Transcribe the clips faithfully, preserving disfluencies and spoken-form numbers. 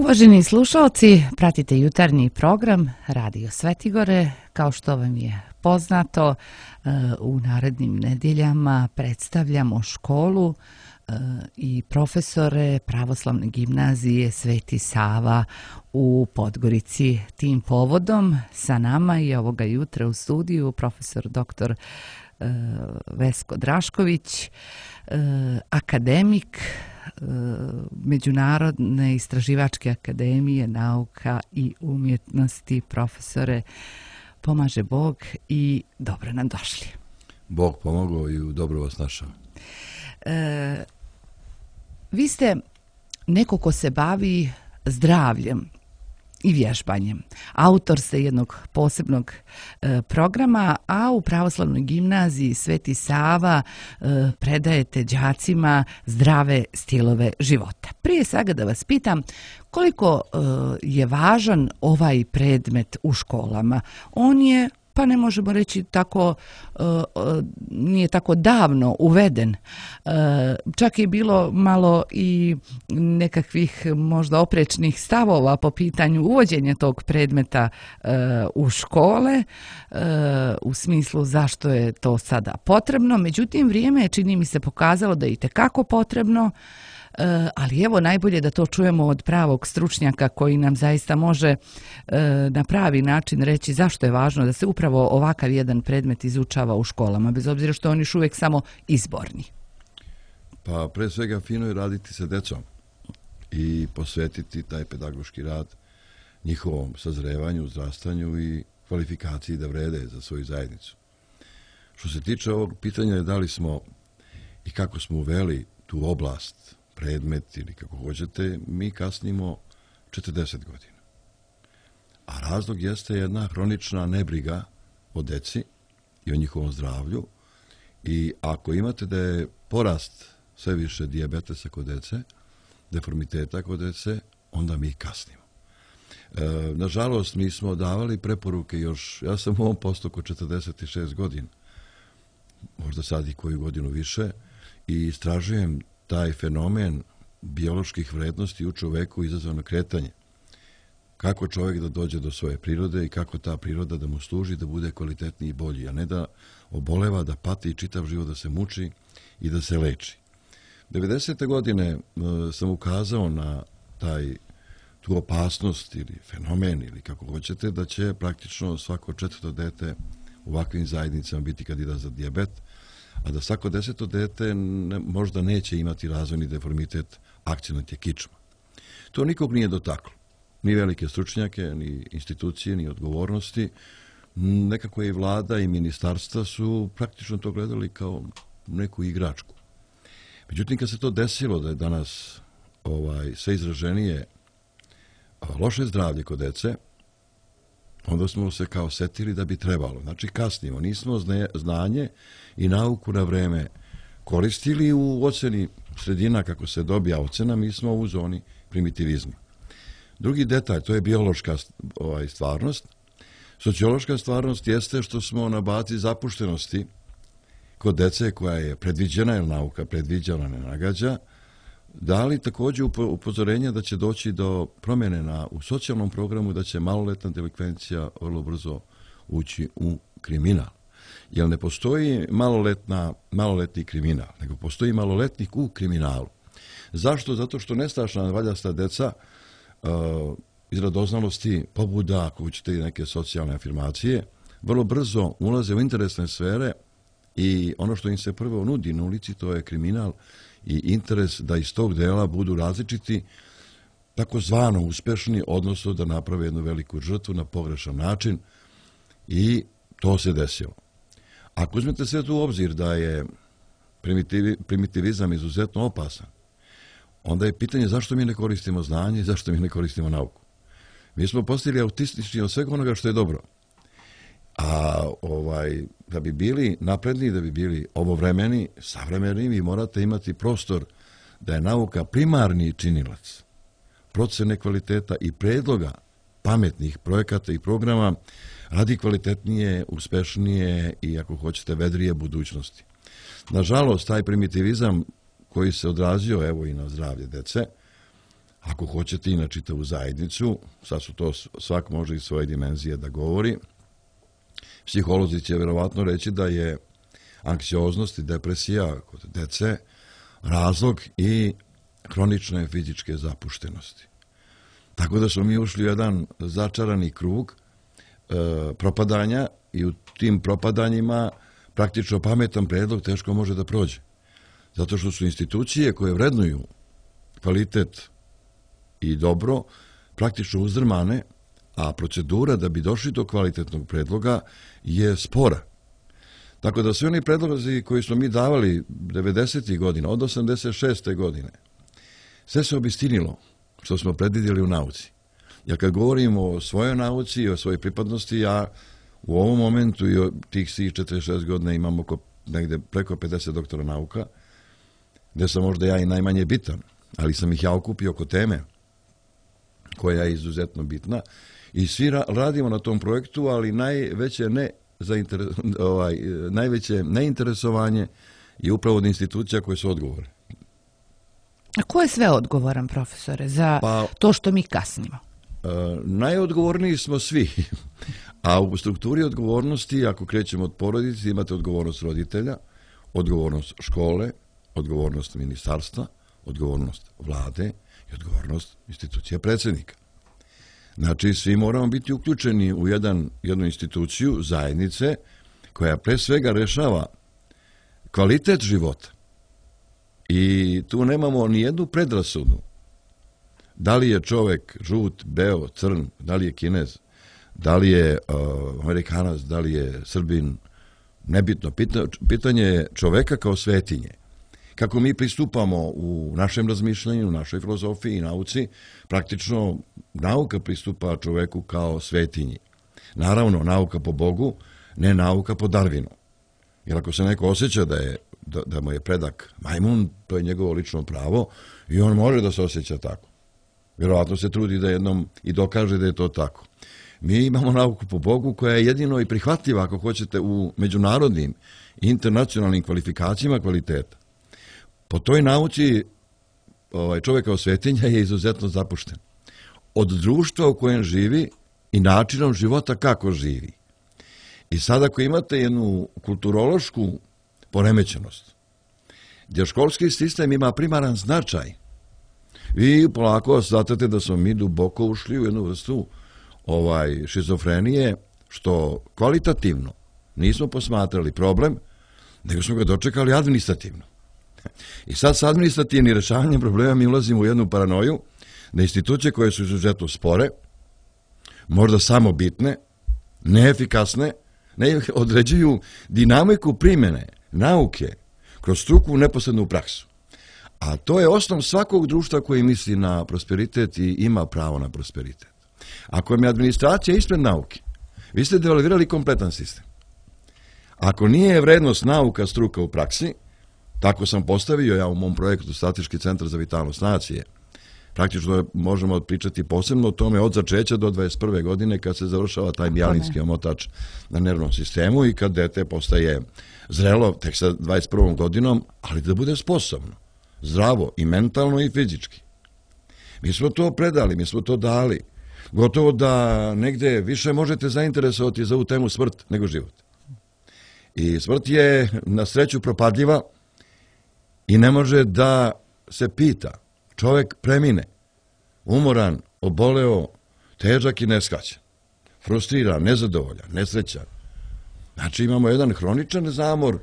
Uvaženi slušalci, pratite jutarnji program Radio Svetigore. Kao što vam je poznato, u narednim nedjeljama predstavljamo školu i profesore Pravoslavne gimnazije Sveti Sava u Podgorici. Tim povodom sa nama je ovoga jutra u studiju profesor doktor Vesko Drašković, akademik Međunarodne istraživačke akademije nauka i umjetnosti. Profesore, pomaže Bog i dobro nam došli. Bog pomogao i dobro vas našao. E, vi ste neko ko se bavi zdravljem i vježbanjem. Autor ste jednog posebnog e, programa, a u Pravoslavnoj gimnaziji Sveti Sava e, predajete đacima zdrave stilove života. Prije svega da vas pitam, koliko e, je važan ovaj predmet u školama? On je, pa ne možemo reći tako, nije tako davno uveden. Čak je bilo malo i nekakvih možda oprečnih stavova po pitanju uvođenja tog predmeta u škole, u smislu zašto je to sada potrebno. Međutim, vrijeme je, čini mi se, pokazalo da je itekako potrebno. Ali evo, najbolje da to čujemo od pravog stručnjaka koji nam zaista može na pravi način reći zašto je važno da se upravo ovakav jedan predmet izučava u školama, bez obzira što oni još uvijek samo izborni. Pa pre svega fino je raditi sa decom i posvetiti taj pedagoški rad njihovom sazrevanju, uzrastanju i kvalifikaciji da vrede za svoju zajednicu. Što se tiče ovog pitanja, da li smo i kako smo uveli tu oblast, predmet ili kako hoćete, mi kasnimo četrdeset godina. A razlog jeste jedna hronična nebriga o deci i o njihovom zdravlju. I ako imate da je porast sve više dijabetesa kod dece, deformiteta kod dece, onda mi kasnimo. E, nažalost, mi smo davali preporuke još, ja sam u ovom postupku četrdeset šest godina, možda sad i koju godinu više, i istražujem taj fenomen bioloških vrednosti u čoveku izazvano kretanje. Kako čovjek da dođe do svoje prirode i kako ta priroda da mu služi da bude kvalitetniji i bolji, a ne da oboleva, da pati čitav život, da se muči i da se leči. devedesete godine sam ukazao na taj, tu opasnost ili fenomen ili kako hoćete, da će praktično svako četvrto dete u ovakvim zajednicama biti kandidat za dijabet, a da svako deseto dete ne, možda neće imati razvojni deformitet akcionatje kičma. To nikog nije dotaklo. Ni velike stručnjake, ni institucije, ni odgovornosti. Nekako i vlada i ministarstva su praktično to gledali kao neku igračku. Međutim, kad se to desilo da je danas ovaj, sve izraženije loše zdravlje kod dece, onda smo se kao setili da bi trebalo. Znači, kasnimo. Nismo znanje i nauku na vreme koristili u oceni sredina kako se dobija ocena, mi smo u zoni primitivizma. Drugi detalj, to je biološka ovaj, stvarnost. Sociološka stvarnost jeste što smo na bazi zapuštenosti kod dece koja je predviđena, jer nauka predviđena ne nagađa, dali također upozorenja da će doći do promjene na, u socijalnom programu, da će maloletna delikvencija vrlo brzo ući u kriminal. Jer ne postoji maloletna, maloletni kriminal, nego postoji maloletnik u kriminalu. Zašto? Zato što nestašna valjasta deca uh, iz radoznalosti, pobuda, ako ćete neke socijalne afirmacije, vrlo brzo ulaze u interesne sfere i ono što im se prvo nudi na ulici, to je kriminal i interes da iz tog dela budu različiti, takozvano uspešni, odnosno da naprave jednu veliku žrtvu na pogrešan način, i to se desilo. Ako uzmete sve tu u obzir da je primitivi, primitivizam izuzetno opasan, onda je pitanje zašto mi ne koristimo znanje i zašto mi ne koristimo nauku. Mi smo postali autistični od svega onoga što je dobro. A ovaj, da bi bili napredni, da bi bili ovovremeni, savremeni, vi morate imati prostor da je nauka primarni činilac procene kvaliteta i predloga pametnih projekata i programa radi kvalitetnije, uspešnije i, ako hoćete, vedrije budućnosti. Nažalost, taj primitivizam koji se odrazio evo i na zdravlje dece, ako hoćete i na čitavu zajednicu, sad su to, svak može iz svoje dimenzije da govori. Psiholozi će verovatno reći da je anksioznost i depresija kod dece razlog i hronične fizičke zapuštenosti. Tako da smo mi ušli u jedan začarani krug e, propadanja i u tim propadanjima praktično pametan predlog teško može da prođe. Zato što su institucije koje vrednuju kvalitet i dobro praktično uzdrmane, a procedura da bi došli do kvalitetnog predloga je spora. Tako da svi oni predlozi koji smo mi davali devedesetih godina, od osamdeset šeste godine, sve se obistinilo što smo predvidjeli u nauci. Ja kad govorim o svojoj nauci i o svojoj pripadnosti, ja u ovom momentu i od tih svih četrdeset šest godina imam oko negde preko pedeset doktora nauka, gde sam možda ja i najmanje bitan, ali sam ih ja okupio oko teme koja je izuzetno bitna i svi ra radimo na tom projektu, ali najveće ne zainteres, ovaj, najveće neinteresovanje je upravo od institucija koje su odgovorne. A ko je sve odgovoran, profesore, za pa, to što mi kasnimo? E, najodgovorniji smo svi, a u strukturi odgovornosti, ako krećemo od porodice, imate odgovornost roditelja, odgovornost škole, odgovornost ministarstva, odgovornost vlade i odgovornost institucija predsjednika. Znači, svi moramo biti uključeni u jedan, jednu instituciju zajednice koja pre svega rešava kvalitet života. I tu nemamo ni jednu predrasudu. Da li je čovek žut, beo, crn, da li je Kinez, da li je uh, Amerikanac, da li je Srbin, nebitno. Pitanje je čoveka kao svetinje. Kako mi pristupamo u našem razmišljanju, u našoj filozofiji i nauci, praktično nauka pristupa čoveku kao svetinji. Naravno, nauka po Bogu, ne nauka po Darwinu. Jer ako se neko osjeća da, je, da, da mu je predak majmun, to je njegovo lično pravo i on može da se osjeća tako. Vjerovatno se trudi da jednom i dokaže da je to tako. Mi imamo nauku po Bogu koja je jedino i prihvatljiva, ako hoćete, u međunarodnim i internacionalnim kvalifikacijama kvaliteta. Po toj nauci ovaj, čovjek kao svetinja je izuzetno zapušten. Od društva u kojem živi i načinom života kako živi. I sad ako imate jednu kulturološku poremećenost, gdje školski sistem ima primaran značaj, vi polako shvatate da smo mi duboko ušli u jednu vrstu ovaj, šizofrenije, što kvalitativno nismo posmatrali problem, nego smo ga dočekali administrativno. I sad s administrativnim rešavanjem problema mi ulazimo u jednu paranoju da institucije koje su izuzetno spore, možda samo bitne, neefikasne, ne određuju dinamiku primjene nauke kroz struku u neposrednu praksu. A to je osnov svakog društva koji misli na prosperitet i ima pravo na prosperitet. Ako vam je administracija ispred nauke, vi ste devalvirali kompletan sistem. Ako nije vrednost nauka struka u praksi, tako sam postavio ja u mom projektu Strateški centar za vitalnost nacije. Praktično možemo pričati posebno o tome od začeća do dvadeset prve godine kad se završava taj mijalinski omotač na nervnom sistemu i kad dete postaje zrelo tek sa dvadeset prvom godinom, ali da bude sposobno, zdravo i mentalno i fizički. Mi smo to predali, mi smo to dali. Gotovo da negde više možete zainteresovati za ovu temu smrt nego život. I smrt je na sreću propadljiva i ne može da se pita. Čovek premine, umoran, oboleo, težak i neskaćan, frustriran, nezadovoljan, nesrećan. Znači imamo jedan hroničan zamor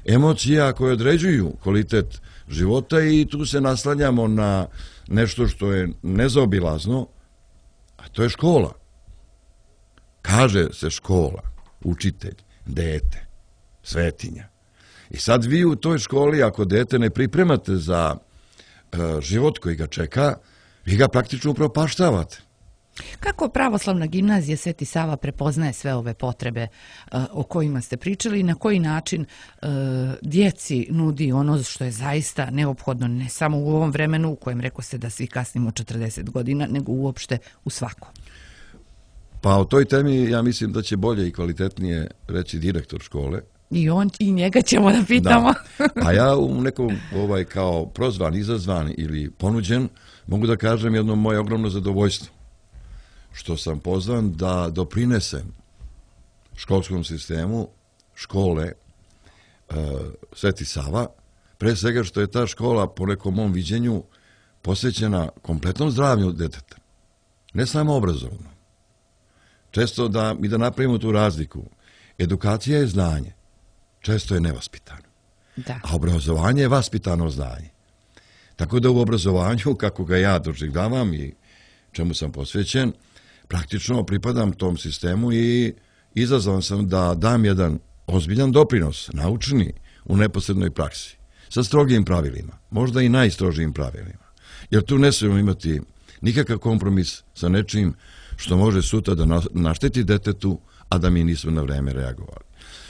emocija koje određuju kvalitet života i tu se naslanjamo na nešto što je nezaobilazno, a to je škola. Kaže se škola, učitelj, dete, svetinja. I sad vi u toj školi, ako dete ne pripremate za život koji ga čeka, vi ga praktično upropaštavate. Kako pravoslavna gimnazija Sveti Sava prepoznaje sve ove potrebe uh, o kojima ste pričali i na koji način uh, djeci nudi ono što je zaista neophodno ne samo u ovom vremenu u kojem rekao ste da svi kasnimo četrdeset godina, nego uopšte u svakom? Pa o toj temi ja mislim da će bolje i kvalitetnije reći direktor škole, I on i njega ćemo da pitamo. Da. A ja u nekom ovaj, kao prozvan, izazvan ili ponuđen, mogu da kažem jedno moje ogromno zadovoljstvo. Što sam pozvan da doprinesem školskom sistemu škole e, Sveti Sava, pre svega što je ta škola po nekom mom viđenju posvećena kompletnom zdravlju deteta. Ne samo obrazovno. Često da mi da napravimo tu razliku. Edukacija je znanje. Često je nevaspitano. Da. A obrazovanje je vaspitano znanje. Tako da u obrazovanju, kako ga ja doživljavam i čemu sam posvećen, praktično pripadam tom sistemu i izazvan sam da dam jedan ozbiljan doprinos, naučni, u neposrednoj praksi, sa strogim pravilima, možda i najstrožijim pravilima. Jer tu ne smijemo imati nikakav kompromis sa nečim što može sutra da našteti detetu, a da mi nismo na vreme reagovali.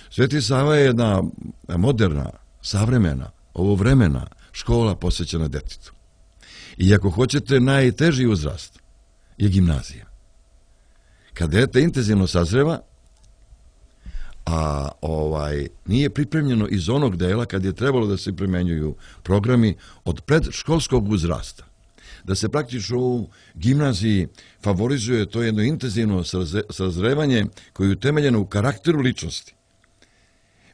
Sveti Sava je jedna moderna, savremena, ovovremena škola posvećena detetu. I ako hoćete, najteži uzrast je gimnazija. Kad dete intenzivno sazreva, a ovaj nije pripremljeno iz onog dela kad je trebalo da se primenjuju programi od predškolskog uzrasta. Da se praktično u gimnaziji favorizuje to jedno intenzivno sazrevanje koje je utemeljeno u karakteru ličnosti.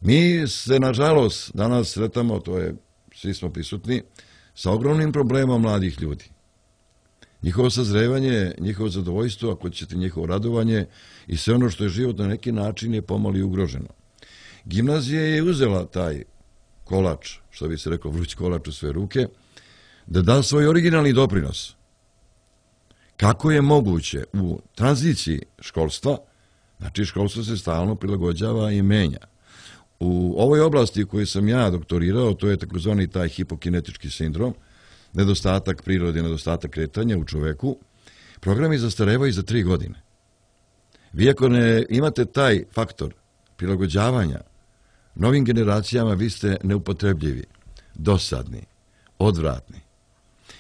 Mi se, nažalost, danas sretamo, to je, svi smo prisutni, sa ogromnim problemom mladih ljudi. Njihovo sazrevanje, njihovo zadovoljstvo, ako ćete njihovo radovanje i sve ono što je život na neki način je pomalo ugroženo. Gimnazija je uzela taj kolač, što bi se rekao, vruć kolač u sve ruke, da da svoj originalni doprinos. Kako je moguće u tranziciji školstva, znači školstvo se stalno prilagođava i menja. U ovoj oblasti u kojoj sam ja doktorirao, to je takozvani taj hipokinetički sindrom, nedostatak prirode, nedostatak kretanja u čoveku, programi zastarevaju za tri godine. Vi ako ne imate taj faktor prilagođavanja novim generacijama, vi ste neupotrebljivi, dosadni, odvratni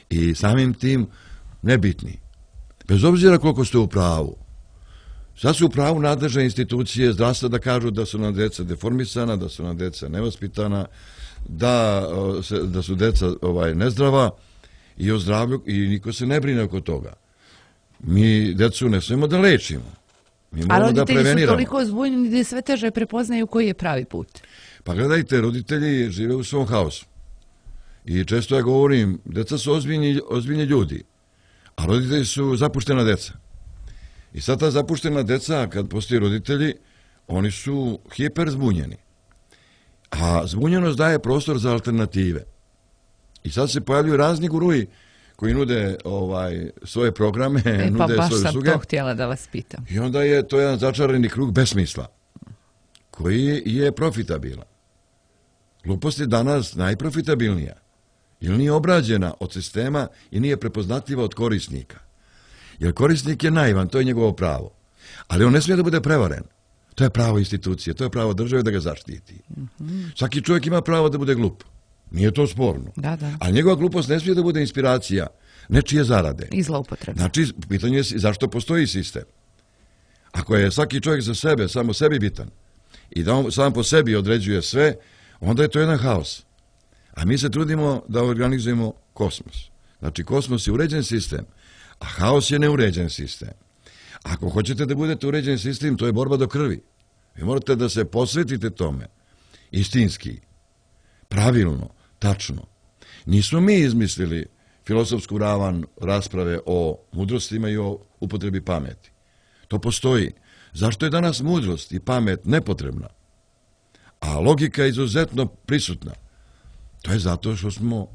i samim tim nebitni. Bez obzira koliko ste u pravu. Sad su u pravu nadležne institucije zdravstva da kažu da su nam deca deformisana, da su nam deca nevaspitana, da, da su deca ovaj, nezdrava i o zdravlju i niko se ne brine oko toga. Mi decu ne smijemo da lečimo. Mi moramo da preveniramo. A roditelji su toliko zbunjeni da sve teže prepoznaju koji je pravi put. Pa gledajte, roditelji žive u svom haosu. I često ja govorim, deca su ozbiljni, ozbiljni ljudi, a roditelji su zapuštena deca. I sad ta zapuštena deca, kad postoji roditelji, oni su hiper zbunjeni. A zbunjenost daje prostor za alternative. I sad se pojavljuju razni guruji koji nude ovaj, svoje programe, e, nude pa svoje usluge. Pa baš sam to htjela da vas pitam. I onda je to jedan začarani krug besmisla, koji je profitabilan. Glupost je danas najprofitabilnija, jer nije obrađena od sistema i nije prepoznatljiva od korisnika. Jer korisnik je naivan, to je njegovo pravo. Ali on ne smije da bude prevaren. To je pravo institucije, to je pravo države da ga zaštiti. Mm-hmm. Svaki čovjek ima pravo da bude glup. Nije to sporno. Da, da. Ali njegova glupost ne smije da bude inspiracija nečije zarade. I zloupotrebe. Znači, pitanje je zašto postoji sistem. Ako je svaki čovjek za sebe, samo sebi bitan, i da on sam po sebi određuje sve, onda je to jedan haos. A mi se trudimo da organizujemo kosmos. Znači, kosmos je uređen sistem, a haos je neuređen sistem. Ako hoćete da budete uređen sistem, to je borba do krvi. Vi morate da se posvetite tome. Istinski, pravilno, tačno. Nismo mi izmislili filozofsku ravan rasprave o mudrostima i o upotrebi pameti. To postoji. Zašto je danas mudrost i pamet nepotrebna, a logika je izuzetno prisutna? To je zato što smo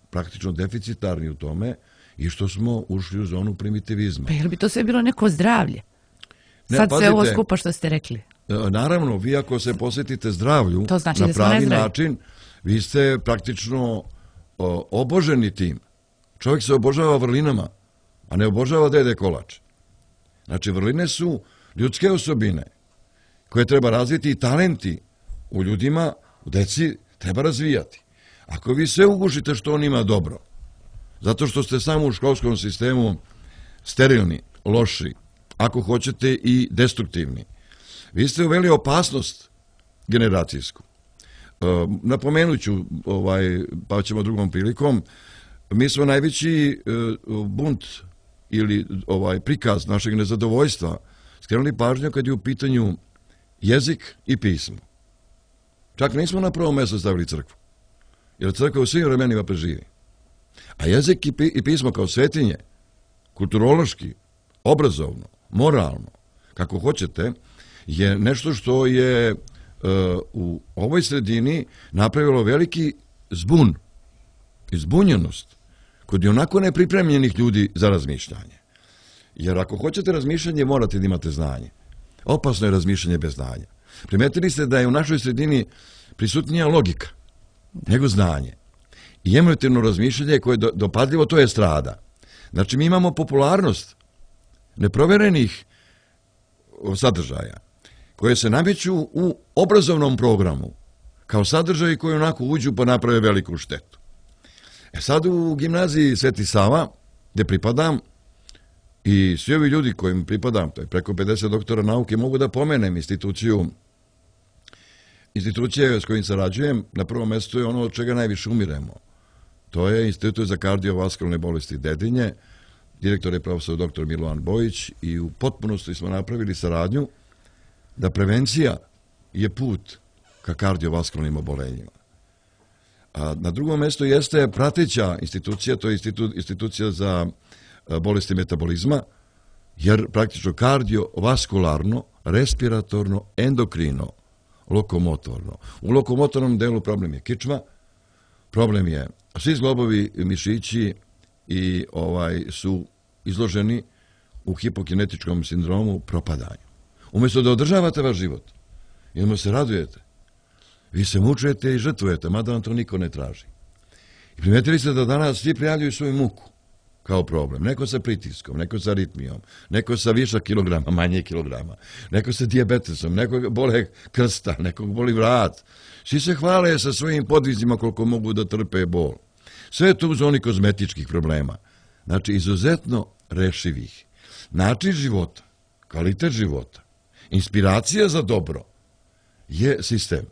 praktično deficitarni u tome i što smo ušli u zonu primitivizma. Pa je li bi to sve bilo neko zdravlje? Ne, sad pazite, sve ovo skupa što ste rekli. Naravno, vi ako se posvetite zdravlju znači na pravi način, vi ste praktično o, oboženi tim. Čovjek se obožava vrlinama, a ne obožava dede kolač. Znači, vrline su ljudske osobine koje treba razviti i talenti u ljudima, u deci treba razvijati. Ako vi sve ugušite što on ima dobro, zato što ste samo u školskom sistemu sterilni, loši, ako hoćete i destruktivni, vi ste uveli opasnost generacijsku. Napomenut ću, ovaj, pa ćemo drugom prilikom, mi smo najveći bunt ili ovaj prikaz našeg nezadovoljstva skrenuli pažnju kad je u pitanju jezik i pismo. Čak nismo na prvom mjestu stavili crkvu, jer crkva u svim vremenima preživi. A jezik i pismo kao svetinje, kulturološki, obrazovno, moralno, kako hoćete, je nešto što je uh, u ovoj sredini napravilo veliki zbun i zbunjenost kod i onako nepripremljenih ljudi za razmišljanje. Jer ako hoćete razmišljanje, morate da imate znanje. Opasno je razmišljanje bez znanja. Primetili ste da je u našoj sredini prisutnija logika, nego znanje. I emotivno razmišljanje koje je dopadljivo, to je strada. Znači, mi imamo popularnost neproverenih sadržaja koje se nameću u obrazovnom programu kao sadržaji koji onako uđu pa naprave veliku štetu. E sad u gimnaziji Sveti Sava, gde pripadam, i svi ovi ljudi kojim pripadam, to je preko pedeset doktora nauke, mogu da pomenem instituciju, institucije s kojim sarađujem, na prvom mjestu je ono od čega najviše umiremo. To je Institut za kardiovaskularne bolesti Dedinje, direktor je profesor doktor Milovan Bojić i u potpunosti smo napravili saradnju da prevencija je put ka kardiovaskularnim obolenjima. A na drugom mjestu jeste prateća institucija, to je institu, institucija za bolesti metabolizma, jer praktično kardiovaskularno, respiratorno, endokrino, lokomotorno. U lokomotornom delu problem je kičma, problem je svi zglobovi, mišići i ovaj su izloženi u hipokinetičkom sindromu propadanju. Umjesto da održavate vaš život, jedno se radujete, vi se mučujete i žrtvujete, mada vam to niko ne traži. I primetili ste da danas svi prijavljuju svoju muku kao problem. Neko sa pritiskom, neko sa aritmijom, neko sa viša kilograma, manje kilograma, neko sa dijabetesom, nekog bole krsta, nekog boli vrat. Svi se hvale sa svojim podvizima koliko mogu da trpe bol. Sve je to u zoni kozmetičkih problema. Znači, izuzetno rešivih. Način života, kvalitet života, inspiracija za dobro je sistem.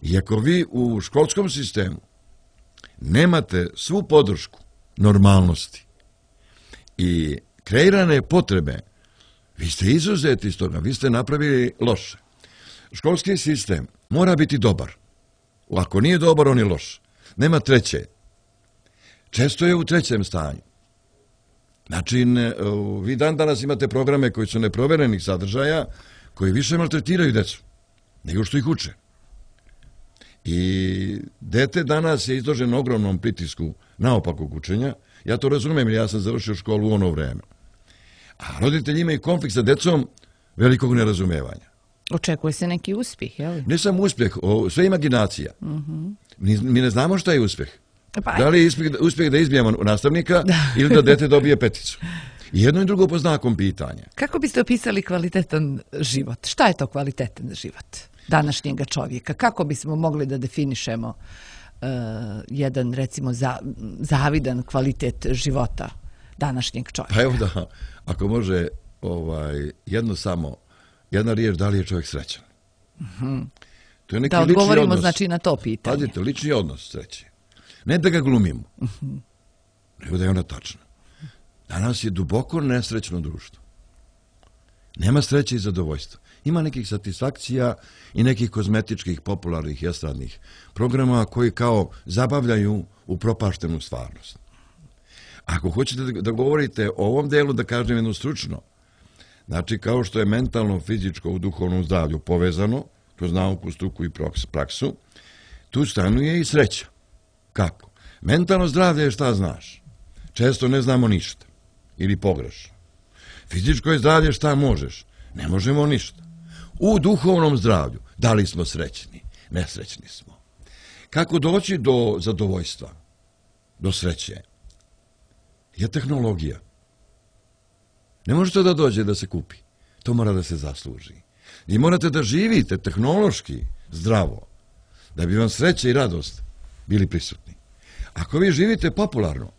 I ako vi u školskom sistemu nemate svu podršku normalnosti i kreirane potrebe, vi ste izuzeti iz toga, vi ste napravili loše. Školski sistem mora biti dobar. Ako nije dobar, on je loš. Nema treće. Često je u trećem stanju. Znači, vi dan danas imate programe koji su neproverenih sadržaja, koji više maltretiraju decu nego što ih uče. I dete danas je izloženo ogromnom pritisku naopakog učenja. Ja to razumijem, jer ja sam završio školu u ono vreme. A roditelji imaju konflikt sa decom velikog nerazumevanja. Očekuje se neki uspjeh, je li? Ne samo uspjeh, sve imaginacija. Uh-huh. mi, mi ne znamo šta je uspjeh. Pa. Da li je uspjeh, uspjeh da izbijemo nastavnika da. Ili da dete dobije peticu. I jedno i drugo po znakom pitanja. Kako biste opisali kvalitetan život? Šta je to kvalitetan život današnjega čovjeka? Kako bismo mogli da definišemo uh, jedan, recimo, za, zavidan kvalitet života današnjeg čovjeka? Pa evo da, ako može ovaj, jedno samo, jedna riječ, da li je čovjek srećan? Uh-huh. To je neki da odgovorimo odnos, znači na to pitanje. Pazite, lični odnos sreće. Ne da ga glumimo, uh-huh. nego da je ona tačna. Danas je duboko nesrećno društvo. Nema sreće i zadovoljstva. Ima nekih satisfakcija i nekih kozmetičkih, popularnih i estradnih programa koji kao zabavljaju u propaštenu stvarnost. Ako hoćete da govorite o ovom delu, da kažem jedno stručno, znači kao što je mentalno, fizičko u duhovnom zdravlju povezano, kroz nauku, struku i praksu, tu stanuje i sreća. Kako? Mentalno zdravlje je šta znaš. Često ne znamo ništa. Ili pogrešno. Fizičko je zdravlje šta možeš. Ne možemo ništa. U duhovnom zdravlju, da li smo srećni? Nesrećni smo. Kako doći do zadovoljstva, do sreće? Je tehnologija. Ne možete da dođe da se kupi. To mora da se zasluži. I morate da živite tehnološki zdravo, da bi vam sreća i radost bili prisutni. Ako vi živite popularno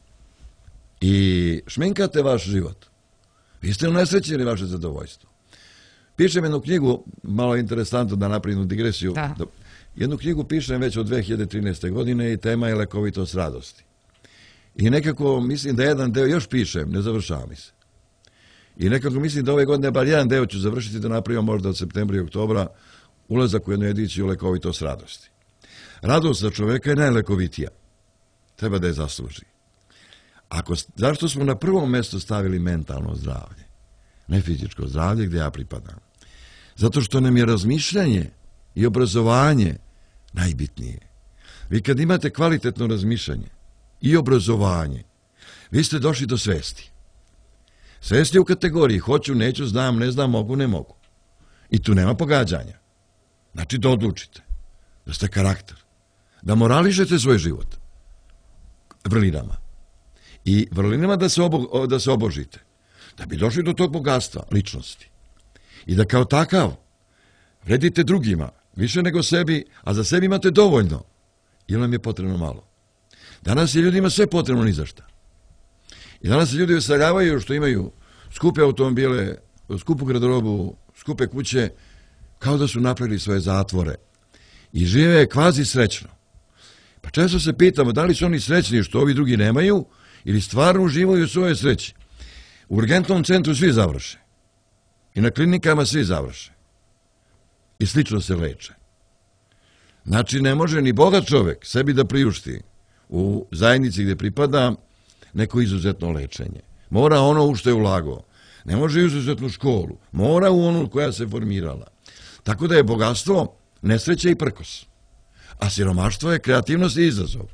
i šminkate vaš život, vi ste unesrećili vaše zadovoljstvo. pišem jednu knjigu, malo je interesantno da napravim digresiju. Da. Jednu knjigu pišem već od dve hiljade trinaeste. godine i tema je lekovitost radosti. I nekako mislim da jedan deo još pišem, ne završava mi se. I nekako mislim da ove godine bar jedan deo ću završiti da napravimo možda od septembra i oktobra ulazak u jednu ediciju lekovitost radosti. Radost za čoveka je najlekovitija. Treba da je zasluži. Ako, zašto smo na prvom mjestu stavili mentalno zdravlje? Ne fizičko zdravlje gdje ja pripadam. Zato što nam je razmišljanje i obrazovanje najbitnije. Vi kad imate kvalitetno razmišljanje i obrazovanje, vi ste došli do svesti. Svesti u kategoriji hoću, neću, znam, ne znam, mogu, ne mogu. I tu nema pogađanja. Znači da odlučite, da ste karakter, da morališete svoj život vrlinama. I vrlinama da se, obo, da se obožite, da bi došli do tog bogatstva ličnosti. I da kao takav vredite drugima, više nego sebi, a za sebi imate dovoljno, ili nam je potrebno malo. Danas je ljudima sve potrebno ni za šta. I danas se ljudi usaljavaju što imaju skupe automobile, skupu garderobu, skupe kuće, kao da su napravili svoje zatvore. I žive kvazi srećno. Pa često se pitamo da li su oni srećni što ovi drugi nemaju ili stvarno uživaju u svojoj sreći. U urgentnom centru svi završe. I na klinikama svi završe. I slično se leče. Znači ne može ni bogat čovek sebi da priušti u zajednici gdje pripada neko izuzetno lečenje. Mora ono u što je ulagao. Ne može izuzetnu školu. Mora u onu koja se formirala. Tako da je bogatstvo nesreće i prkos. A siromaštvo je kreativnost i izazov.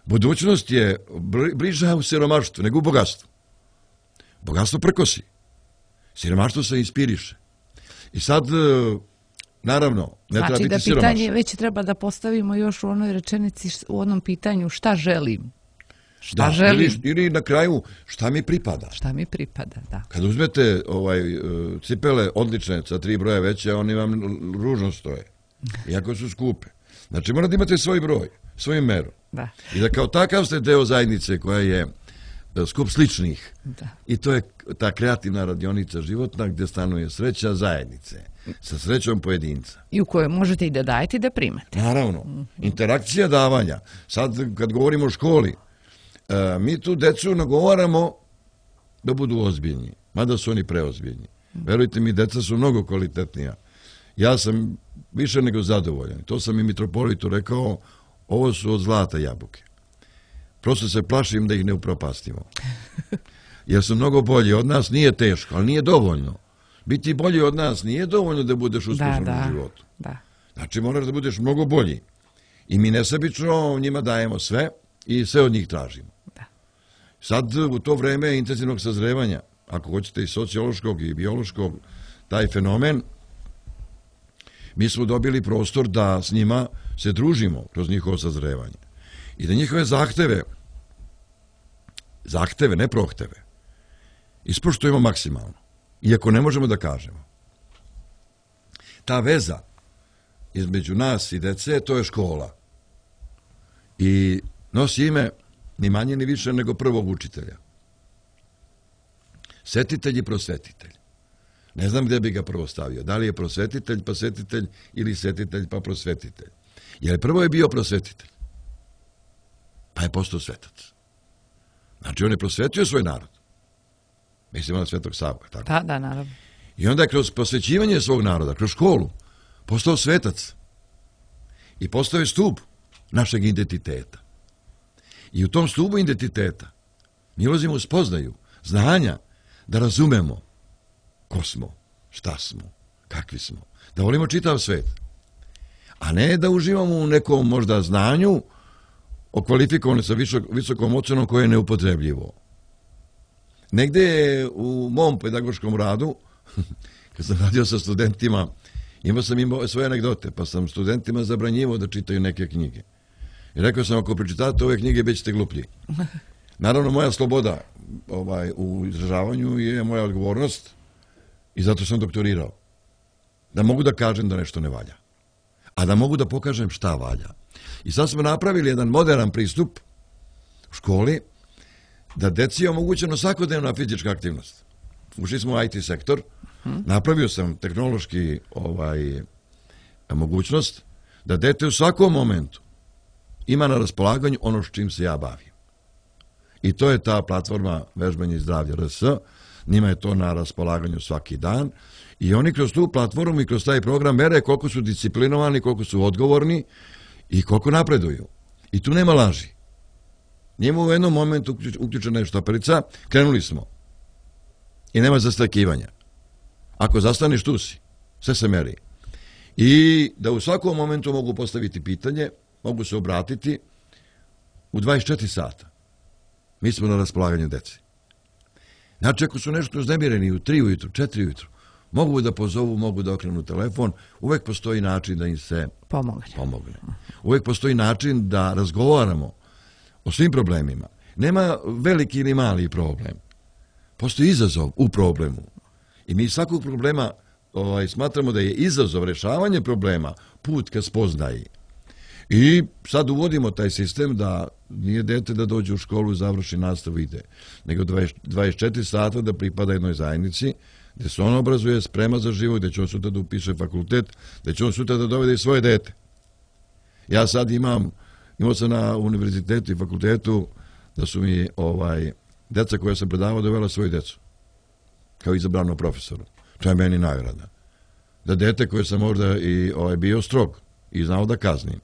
Budućnost je bliža u siromaštvu nego u bogatstvu. Bogatstvo prkosi. Siromaštvo se inspiriše. I sad, naravno, ne znači treba biti da siromašan. pitanje već treba da postavimo još u onoj rečenici, u onom pitanju šta želim. Šta da, želim? Ili, ili na kraju šta mi pripada. Šta mi pripada, da. Kad uzmete ovaj, cipele odlične sa tri broja veće, oni vam ružno stoje. Iako su skupe. Znači morate imate svoj broj, svoju meru. Da. I da kao takav ste deo zajednice koja je skup sličnih. Da. I to je ta kreativna radionica životna gdje stanuje sreća zajednice. Sa srećom pojedinca. I u kojoj možete i da dajete i da primate. Naravno. Mm-hmm. Interakcija davanja. Sad kad govorimo o školi, e, mi tu decu nagovaramo da budu ozbiljni. Mada su oni preozbiljni. Mm-hmm. Verujte mi, deca su mnogo kvalitetnija. Ja sam više nego zadovoljan. To sam i mitropolitu rekao, ovo su od zlata jabuke. Prosto se plašim da ih ne upropastimo. Jer su mnogo bolji od nas, nije teško, ali nije dovoljno. Biti bolji od nas nije dovoljno da budeš uspješan da, da, u životu. Da. Znači moraš da budeš mnogo bolji. I mi nesebično njima dajemo sve i sve od njih tražimo. Da. Sad u to vreme intenzivnog sazrevanja, ako hoćete i sociološkog i biološkog, taj fenomen, mi smo dobili prostor da s njima se družimo kroz njihovo sazrevanje. I da njihove zahteve, zahteve, ne prohteve, ispoštujemo maksimalno. Iako ne možemo da kažemo. Ta veza između nas i dece, to je škola. I nosi ime ni manje ni više nego prvog učitelja. Setitelj i prosvetitelj. Ne znam gdje bi ga prvo stavio. Da li je prosvetitelj pa setitelj ili setitelj pa prosvetitelj. Jer prvo je bio prosvetitelj. Pa je postao svetac. Znači on je prosvetio svoj narod. Mislimo na Svetog Savu. Tako? Da, da, naravno. I onda je kroz posvećivanje svog naroda, kroz školu, postao svetac. I postao je stup našeg identiteta. I u tom stubu identiteta mi ulazimo u spoznaju, znanja, da razumemo ko smo, šta smo, kakvi smo. Da volimo čitav svet. A ne da uživamo u nekom možda znanju okvalifikovane sa visokom ocenom koje je neupotrebljivo. Negde je u mom pedagoškom radu, kad sam radio sa studentima, imao sam imao svoje anegdote, pa sam studentima zabranjivao da čitaju neke knjige. I rekao sam, ako pročitate ove knjige, bit ćete gluplji. Naravno, moja sloboda ovaj, u izražavanju je moja odgovornost i zato sam doktorirao. Da mogu da kažem da nešto ne valja. A da mogu da pokažem šta valja. I sad smo napravili jedan modern pristup u školi, da deci je omogućeno svakodnevna fizička aktivnost. Ušli smo u I T sektor, Uh-huh. Napravio sam tehnološki ovaj, mogućnost da dete u svakom momentu ima na raspolaganju ono s čim se ja bavim. I to je ta platforma Vežbanje i zdravlje R S. Njima je to na raspolaganju svaki dan. I oni kroz tu platformu i kroz taj program mere koliko su disciplinovani, koliko su odgovorni i koliko napreduju. I tu nema laži. Njemu u jednom momentu uključena je štaperica, krenuli smo. I nema zastakivanja. Ako zastaneš, tu si. Sve se meri. I da u svakom momentu mogu postaviti pitanje, mogu se obratiti u dvadeset četiri sata. Mi smo na raspolaganju deci. Znači, ako su nešto uznemireni u tri ujutru, četiri ujutru, mogu da pozovu, mogu da okrenu telefon, uvek postoji način da im se pomogne. pomogne. Uvek postoji način da razgovaramo o svim problemima. Nema veliki ili mali problem. Postoji izazov u problemu. I mi svakog problema ovaj, smatramo da je izazov rešavanje problema put ka spoznaji. I sad uvodimo taj sistem da nije dete da dođe u školu, završi nastavu, ide, nego dvadeset četiri sata da pripada jednoj zajednici, gde se on obrazuje, sprema za život, gde će on sutra da upiše fakultet, gde će on sutra da dovede i svoje dete. Ja sad imam, imao sam na univerzitetu i fakultetu da su mi ovaj, deca koja sam predavao dovela svoju decu, kao izabranom profesoru. To je meni nagrada. Da dete koje sam možda i ovaj, bio strog i znao da kaznim,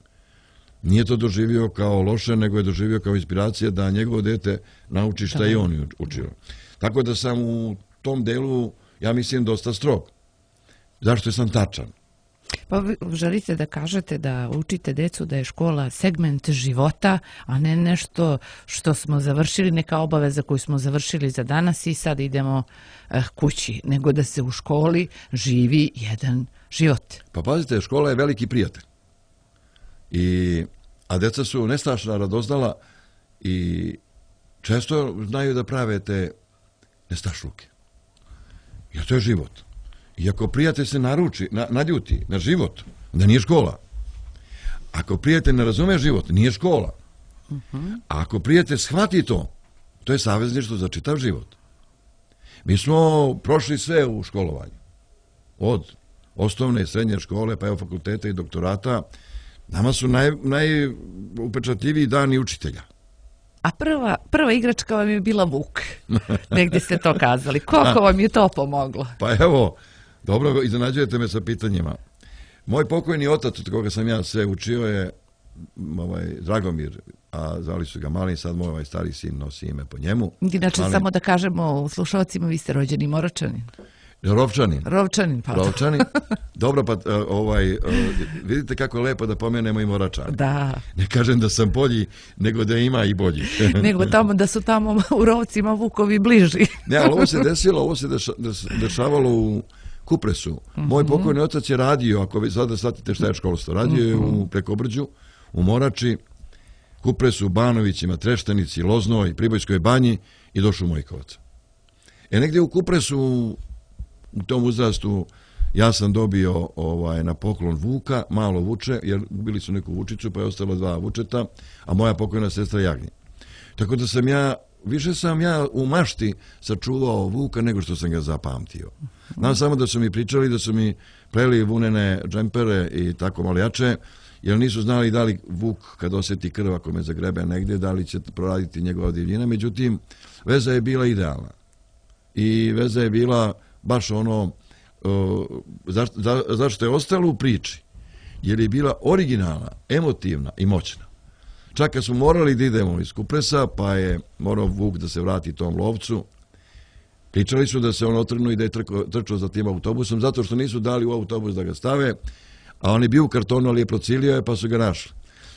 nije to doživio kao loše, nego je doživio kao inspiracija da njegovo dete nauči šta i on učio. Tako da sam u tom delu, ja mislim, dosta strog. Zašto sam tačan? Pa vi želite da kažete da učite decu da je škola segment života, a ne nešto što smo završili, neka obaveza koju smo završili za danas i sad idemo eh, kući, nego da se u školi živi jedan život. Pa pazite, škola je veliki prijatelj. I, a deca su nestašna radoznala i često znaju da prave te nestašluke. Jer to je život. I ako prijatelj se naruči, na, naljuti na život, da nije škola. Ako prijatelj ne razume život, nije škola. Uh-huh. A ako prijatelj shvati to, to je savezništvo za čitav život. Mi smo prošli sve u školovanju. Od osnovne i srednje škole, pa evo fakulteta i doktorata. Nama su naj, najupečatljiviji dani učitelja. A prva, prva igračka vam je bila Vuk. Negdje ste to kazali. Koliko vam je to pomoglo? Pa evo, dobro, iznenađujete me sa pitanjima. Moj pokojni otac, od koga sam ja sve učio, je ovaj, Dragomir, a zvali su ga Malin, sad moj ovaj stari sin nosi ime po njemu. Inače, Malin. Samo da kažemo slušalcima, vi ste rođeni Moračanin. Rovčanin. Rovčanin, pa. Rovčanin. Dobro, pa ovaj, vidite kako je lepo da pomenemo i Moračanin. Da. Ne kažem da sam bolji, nego da ima i bolji. Nego tamo da su tamo u Rovcima Vukovi bliži. Ne, ali ovo se desilo, ovo se dešavalo u Kupresu. Moj pokojni otac je radio, ako vi sada shvatite šta je školstvo, radio je u Prekobrđu, u Morači, Kupresu, Banovićima, Treštenici, Loznoj, Pribojskoj banji i došao u Mojkovac. E negdje u Kupresu, u tom uzrastu, ja sam dobio ovaj, na poklon Vuka, malo vuče, jer bili su neku vučicu, pa je ostalo dva vučeta, a moja pokojna sestra Jagnje. Tako da sam ja, više sam ja u mašti sačuvao Vuka nego što sam ga zapamtio. Znam samo da su mi pričali, da su mi pleli vunene džempere i tako malo jače, jer nisu znali da li Vuk, kad osjeti krv ako me zagrebe negdje, da li će proraditi njegova divljina. Međutim, veza je bila idealna. I veza je bila baš ono uh, zašto, za, zašto je ostalo u priči, jer je bila originalna, emotivna i moćna. Čak kad smo morali da idemo iz Kupresa, pa je morao Vuk da se vrati tom lovcu, pričali su da se on otrgnuo i da je trko, trčao za tim autobusom, zato što nisu dali u autobus da ga stave, a on je bio u kartonu, ali je procilio je, pa su ga našli.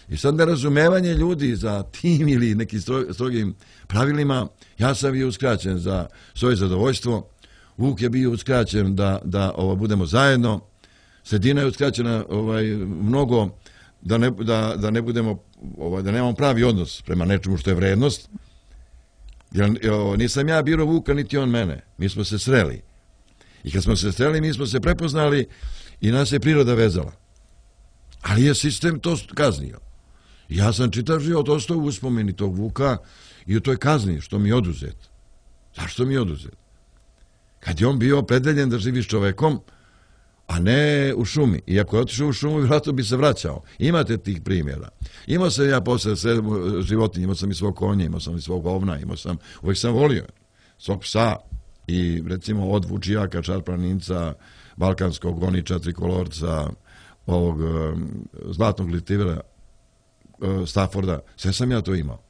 I sad nerazumevanje ljudi za tim ili nekim strogim pravilima, ja sam bio uskraćen za svoje zadovoljstvo, Vuk je bio uskraćen da, da ovo, budemo zajedno, sredina je uskraćena ovaj, mnogo da ne, da, da ne budemo, ovaj, da nemamo pravi odnos prema nečemu što je vrednost. Jer o, nisam ja birao Vuka, niti on mene. Mi smo se sreli. I kad smo se sreli, mi smo se prepoznali i nas je priroda vezala. Ali je sistem to kaznio. Ja sam čitav život ostao u uspomeni tog Vuka i u toj kazni što mi je oduzet. Zašto mi je oduzet? Kad kad je on bio opredeljen da živi s čovekom, a ne u šumi. I ako je otišao u šumu, vjerojatno bi se vraćao. Imate tih primjera. Imao sam ja posle sve životinje, imao sam i svog konja, imao sam i svog ovna, imao sam, uvijek sam volio svog psa i recimo od vučijaka, čarplaninca, balkanskog goniča, trikolorca, ovog um, zlatnog litivera, uh, Stafforda, sve sam ja to imao.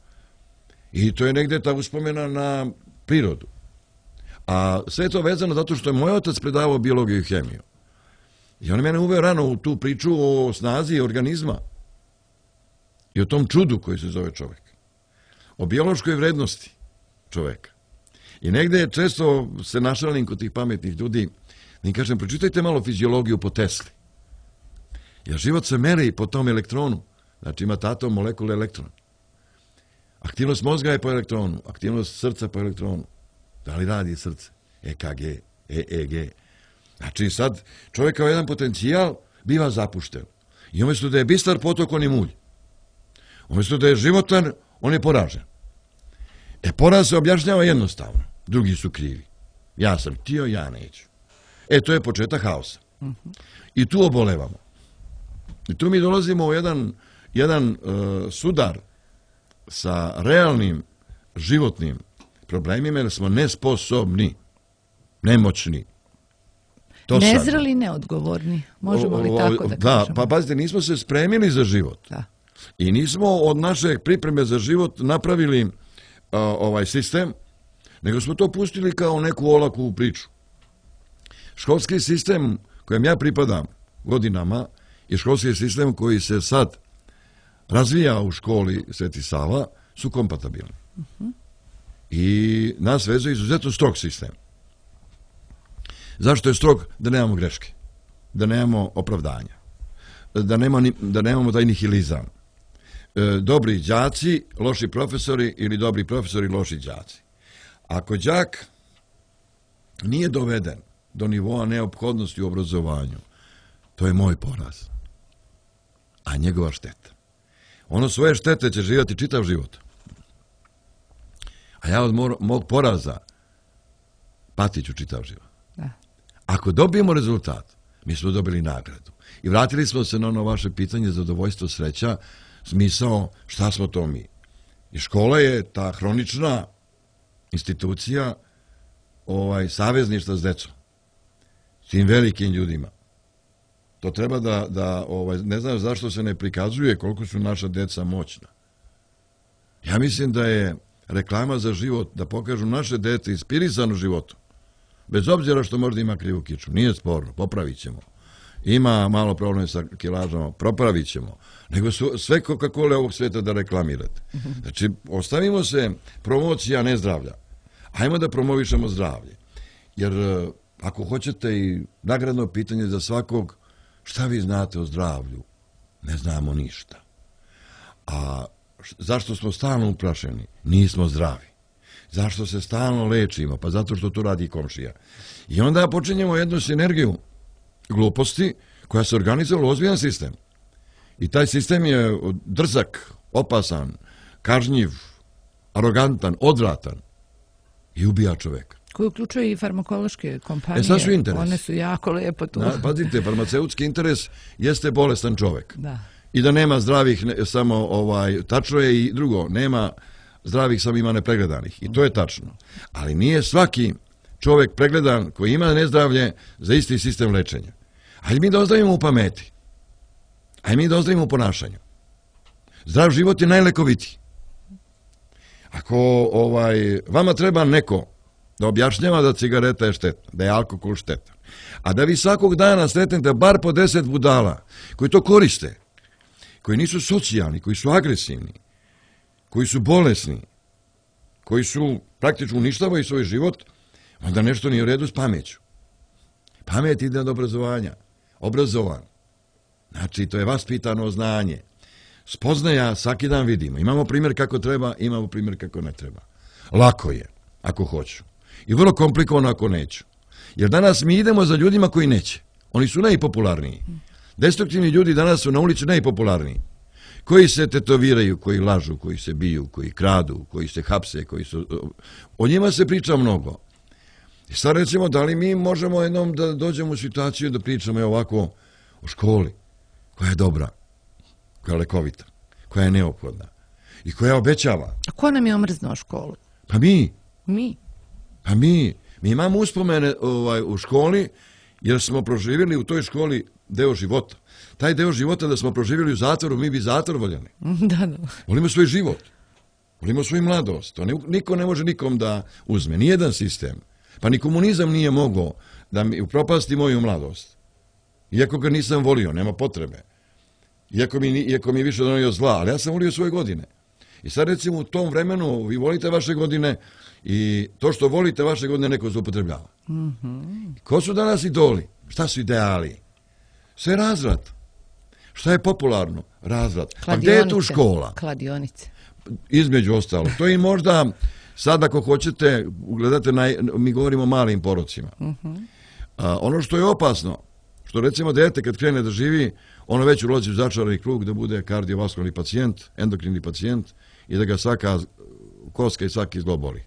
I to je negdje ta uspomena na prirodu. A sve je to vezano zato što je moj otac predavao biologiju i hemiju. I on je mene uveo rano u tu priču o snazi organizma i o tom čudu koji se zove čovjek. O biološkoj vrednosti čovjeka. I negdje često se našalim kod tih pametnih ljudi da im kažem, pročitajte malo fiziologiju po Tesli. Jer život se meri po tom elektronu. Znači imate atom, molekule, elektron. Aktivnost mozga je po elektronu, aktivnost srca po elektronu. Da li radi srce? E K G, E E G. Znači sad čovjek kao jedan potencijal biva zapušten. I umjesto da je bistar potok, on je mulj. Umjesto da je životan, on je poražen. E poraz se objašnjava jednostavno. Drugi su krivi. Ja sam htio, ja neću. E to je početak haosa. I tu obolevamo. I tu mi dolazimo u jedan, jedan uh, sudar sa realnim životnim problemima jer smo nesposobni, nemoćni. To nezreli, sad. Neodgovorni. Možemo li tako da, da kažemo? Pa pazite, nismo se spremili za život. Da. I nismo od naše pripreme za život napravili uh, ovaj sistem, nego smo to pustili kao neku olaku priču. Školski sistem kojem ja pripadam godinama i školski sistem koji se sad razvija u školi Sveti Sava su kompatibilni. Uh-huh. I nas vezuje izuzetno strog sistem. Zašto je strog? Da nemamo greške, da nemamo opravdanja, da, nema ni, da nemamo taj nihilizam. E, dobri đaci, loši profesori ili dobri profesori, loši đaci. Ako đak nije doveden do nivoa neophodnosti u obrazovanju, to je moj poraz, a njegova šteta. Ono svoje štete će živjeti čitav život. A ja od mog poraza patit ću čitav život. Da. Ako dobijemo rezultat, mi smo dobili nagradu. I vratili smo se na ono vaše pitanje zadovoljstvo, sreća, smisao šta smo to mi. I škola je ta hronična institucija ovaj, savezništva s decom. S tim velikim ljudima. To treba da, da ovaj, ne znam zašto se ne prikazuje koliko su naša deca moćna. Ja mislim da je reklama za život, da pokažu naše dete inspirisano životu. Bez obzira što možda ima krivu kiču. Nije sporno, popravit ćemo. Ima malo probleme sa kilažama, popravit ćemo. Nego su sve Coca-Cola ovog svijeta da reklamirate. Znači, ostavimo se promocija nezdravlja. Hajmo da promovišemo zdravlje. Jer ako hoćete i nagradno pitanje za svakog, šta vi znate o zdravlju? Ne znamo ništa. A zašto smo stalno uplašeni? Nismo zdravi. Zašto se stalno lečimo? Pa zato što to radi komšija. I onda počinjemo jednu sinergiju gluposti koja se organizovala u ozbiljan sistem. I taj sistem je drzak, opasan, kažnjiv, arogantan, odvratan i ubija čoveka. Koji uključuje i farmakološke kompanije. E sad su interes. One su jako lepo tu. Na, pazite, farmaceutski interes jeste bolestan čovek. Da. I da nema zdravih, ne, samo ovaj, tačno je i drugo, nema zdravih, samo ima nepregledanih. I to je tačno. Ali nije svaki čovek pregledan koji ima nezdravlje za isti sistem lečenja. Hajde mi da ozdravimo u pameti. Hajde mi da ozdravimo u ponašanju. Zdrav život je najlekovitiji. Ako ovaj, vama treba neko da objašnjava da cigareta je štetna, da je alkohol štetan, a da vi svakog dana sretnete bar po deset budala koji to koriste, koji nisu socijalni, koji su agresivni, koji su bolesni, koji su praktično uništavaju svoj život, onda nešto nije u redu s pameću. Pamet ide od obrazovanja. Obrazovan. Znači, to je vaspitano znanje. Spoznaja svaki dan vidimo. Imamo primjer kako treba, imamo primjer kako ne treba. Lako je, ako hoću. I vrlo komplikovano ako neću. Jer danas mi idemo za ljudima koji neće. Oni su najpopularniji. Destruktivni ljudi danas su na ulici najpopularniji. Koji se tetoviraju, koji lažu, koji se biju, koji kradu, koji se hapse, koji su... O njima se priča mnogo. I sad recimo, da li mi možemo jednom da dođemo u situaciju da pričamo ovako o školi, koja je dobra, koja je lekovita, koja je neophodna i koja obećava. A ko nam je omrznuo školu? Pa mi. Mi? Pa mi. Mi imamo uspomene ovaj, u školi, jer smo proživjeli u toj školi deo života. Taj deo života da smo proživjeli u zatvoru, mi bi zatvor voljeli. Da, da. Volimo svoj život. Volimo svoju mladost. To niko ne može nikom da uzme. Nijedan sistem. Pa ni komunizam nije mogao da mi upropasti moju mladost. Iako ga nisam volio, nema potrebe. Iako mi, iako mi je više donio zla, ali ja sam volio svoje godine. I sad recimo u tom vremenu vi volite vaše godine i to što volite vaše godine neko zloupotrebljava. Mm-hmm. Ko su danas idoli? Šta su ideali? Sve je razvrat. Šta je popularno? Razvrat. Pa gdje je tu škola? Kladionice. Između ostalo. To i možda, sad ako hoćete, gledate, na, mi govorimo o malim porocima. Mm-hmm. A, ono što je opasno, što recimo dete kad krene da živi, ono već ulazi u začarani krug da bude kardiovaskularni pacijent, endokrini pacijent i da ga svaka koska i svaki zglob boli.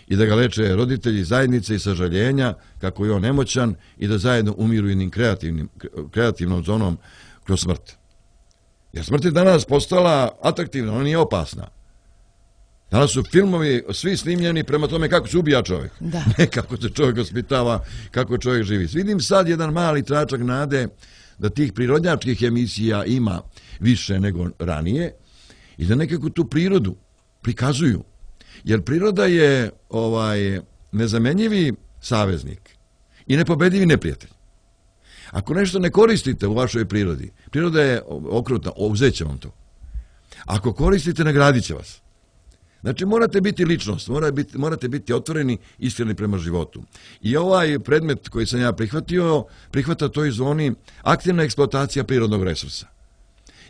I da ga leče roditelji, zajednice i sažaljenja kako je on nemoćan i da zajedno umiru jednim kreativnim, kreativnom zonom kroz smrt. Jer smrt je danas postala atraktivna, ona nije opasna. Danas su filmovi svi snimljeni prema tome kako se ubija čovjek. Da. Ne kako se čovjek ospitava, kako čovjek živi. Vidim sad jedan mali tračak nade da tih prirodnjačkih emisija ima više nego ranije i da nekako tu prirodu prikazuju. Jer priroda je ovaj nezamenjivi saveznik i nepobedivi neprijatelj. Ako nešto ne koristite u vašoj prirodi, priroda je okrutna, uzet će vam to. Ako koristite, nagradit će vas. Znači, morate biti ličnost, morate biti, morate biti otvoreni, iskreni prema životu. I ovaj predmet koji sam ja prihvatio, prihvata toj zoni aktivna eksploatacija prirodnog resursa.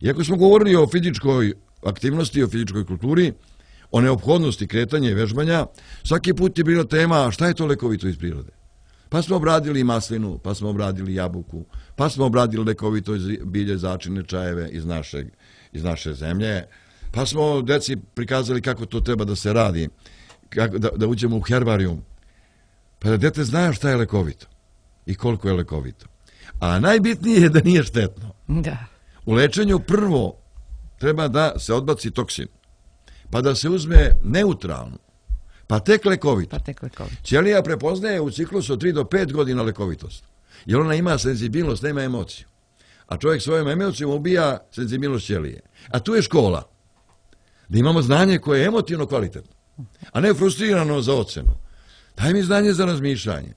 Iako smo govorili o fizičkoj aktivnosti, o fizičkoj kulturi, o neophodnosti kretanja i vežbanja, svaki put je bila tema šta je to lekovito iz prirode. Pa smo obradili maslinu, pa smo obradili jabuku, pa smo obradili lekovito bilje, začine, čajeve iz, našeg, iz naše zemlje, pa smo deci prikazali kako to treba da se radi, kako, da, da uđemo u herbarijum, pa da dete zna šta je lekovito i koliko je lekovito. A najbitnije je da nije štetno. Da. U lečenju prvo treba da se odbaci toksin, pa da se uzme neutralno, pa tek lekovito. Pa tek lekovito. Ćelija prepoznaje u ciklusu od tri do pet godina lekovitost, jer ona ima senzibilnost, nema emociju. A čovjek svojom emocijom ubija senzibilnost ćelije. A tu je škola, da imamo znanje koje je emotivno kvalitetno, a ne frustrirano za ocenu. Daj mi znanje za razmišljanje.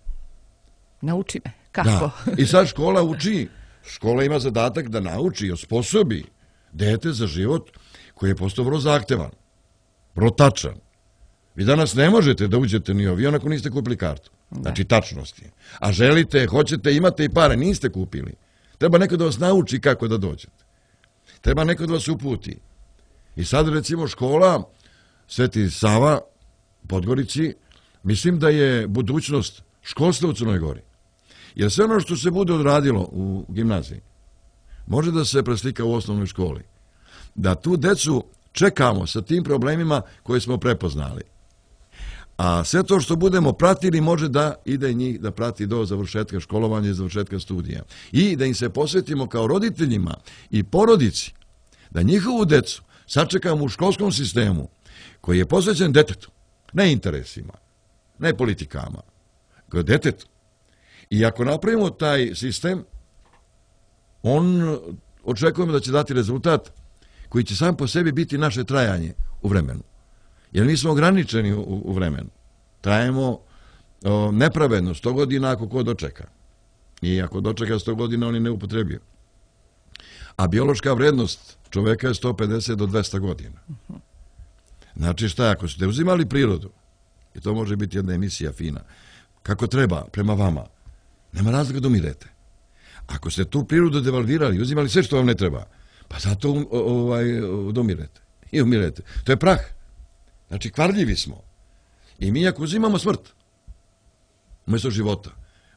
Nauči me. Kako? Da. I sad škola uči, škola ima zadatak da nauči i osposobi dete za život koji je postao vrlo zahtevan, vrlo tačan. Vi danas ne možete da uđete ni u avion ako niste kupili kartu. Da. Znači tačnosti. A želite, hoćete, imate i pare, niste kupili. Treba neko da vas nauči kako da dođete. Treba neko da vas uputi. I sad recimo škola Sveti Sava, Podgorici, mislim da je budućnost školstva u Crnoj Gori. Jer sve ono što se bude odradilo u gimnaziji može da se preslika u osnovnoj školi. Da tu decu čekamo sa tim problemima koje smo prepoznali. A sve to što budemo pratili može da ide njih da prati do završetka školovanja i završetka studija. I da im se posvetimo kao roditeljima i porodici, da njihovu decu sačekamo u školskom sistemu koji je posvećen detetu, ne interesima, ne politikama, kao detetu. I ako napravimo taj sistem, on očekujemo da će dati rezultat koji će sam po sebi biti naše trajanje u vremenu. Jer mi smo ograničeni u, u vremenu. Trajemo o, nepravedno sto godina ako ko dočeka. I ako dočeka sto godina, on je neupotrebio. A biološka vrednost čoveka je sto pedeset do dvesta godina. Znači šta, ako ste uzimali prirodu, i to može biti jedna emisija fina, kako treba, prema vama, nema razloga da umirete. Ako ste tu prirodu devalvirali, uzimali sve što vam ne treba, pa zato um, ovaj, umirete. I umirete. To je prah. Znači, kvarljivi smo. I mi ako uzimamo smrt, umjesto života,